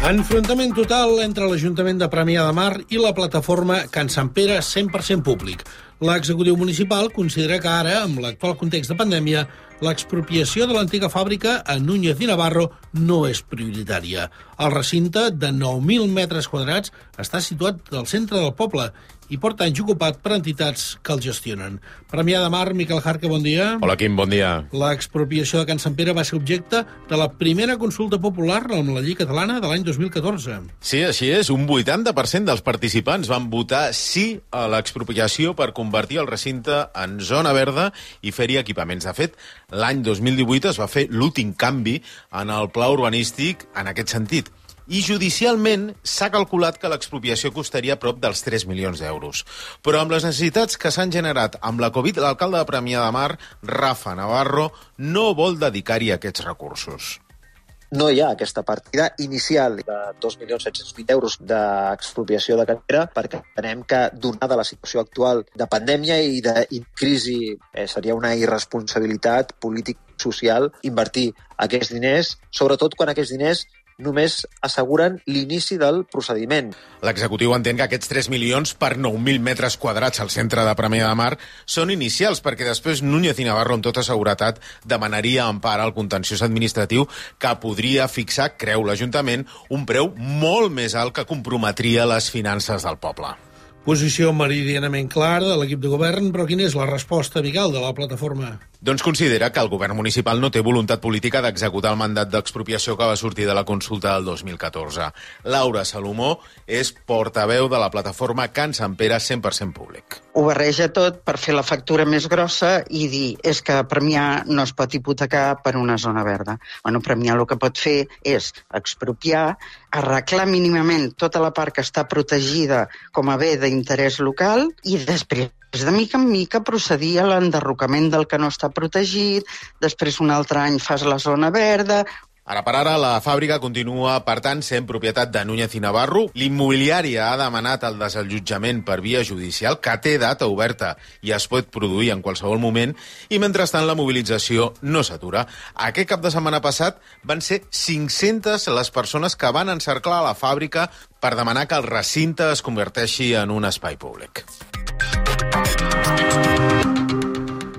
Enfrontament total entre l'Ajuntament de Premià de Mar i la plataforma Can Sant Pere 100% públic. L'executiu municipal considera que ara, amb l'actual context de pandèmia, l'expropiació de l'antiga fàbrica a Núñez i Navarro no és prioritària. El recinte de 9.000 metres quadrats està situat al centre del poble i porta anys ocupat per entitats que el gestionen. Premià de Mar, Miquel Jarque, bon dia. Hola, Quim, bon dia. L'expropiació de Can Sant Pere va ser objecte de la primera consulta popular amb la llei catalana de l'any 2014. Sí, així és. Un 80% dels participants van votar sí a l'expropiació per convertir el recinte en zona verda i fer-hi equipaments. De fet, l'any 2018 es va fer l'últim canvi en el pla urbanístic en aquest sentit. I judicialment s'ha calculat que l'expropiació costaria prop dels 3 milions d'euros. Però amb les necessitats que s'han generat amb la Covid, l'alcalde de Premià de Mar, Rafa Navarro, no vol dedicar-hi aquests recursos. No hi ha aquesta partida inicial de 2.700.000 euros d'expropiació de cantera perquè entenem que, donada la situació actual de pandèmia i de crisi, seria una irresponsabilitat polític-social invertir aquests diners, sobretot quan aquests diners només asseguren l'inici del procediment. L'executiu entén que aquests 3 milions per 9.000 metres quadrats al centre de Premià de Mar són inicials, perquè després Núñez i Navarro amb tota seguretat demanaria empara al contenciós administratiu que podria fixar, creu l'Ajuntament, un preu molt més alt que comprometria les finances del poble. Posició meridianament clara de l'equip de govern, però quina és la resposta, Miquel, de la plataforma? Doncs considera que el govern municipal no té voluntat política d'executar el mandat d'expropiació que va sortir de la consulta del 2014. Laura Salomó és portaveu de la plataforma Can Sant Pere 100% públic. Ho barreja tot per fer la factura més grossa i dir és que Premià no es pot hipotecar per una zona verda. Bueno, Premià el que pot fer és expropiar, arreglar mínimament tota la part que està protegida com a bé d'interès local i després de mica en mica procedir a l'enderrocament del que no està protegit, després un altre any fas la zona verda. Ara per ara, la fàbrica continua, per tant, sent propietat de Núñez i Navarro. L'immobiliària ha demanat el desallotjament per via judicial, que té data oberta i es pot produir en qualsevol moment, i mentrestant la mobilització no s'atura. Aquest cap de setmana passat van ser 500 les persones que van encerclar la fàbrica per demanar que el recinte es converteixi en un espai públic.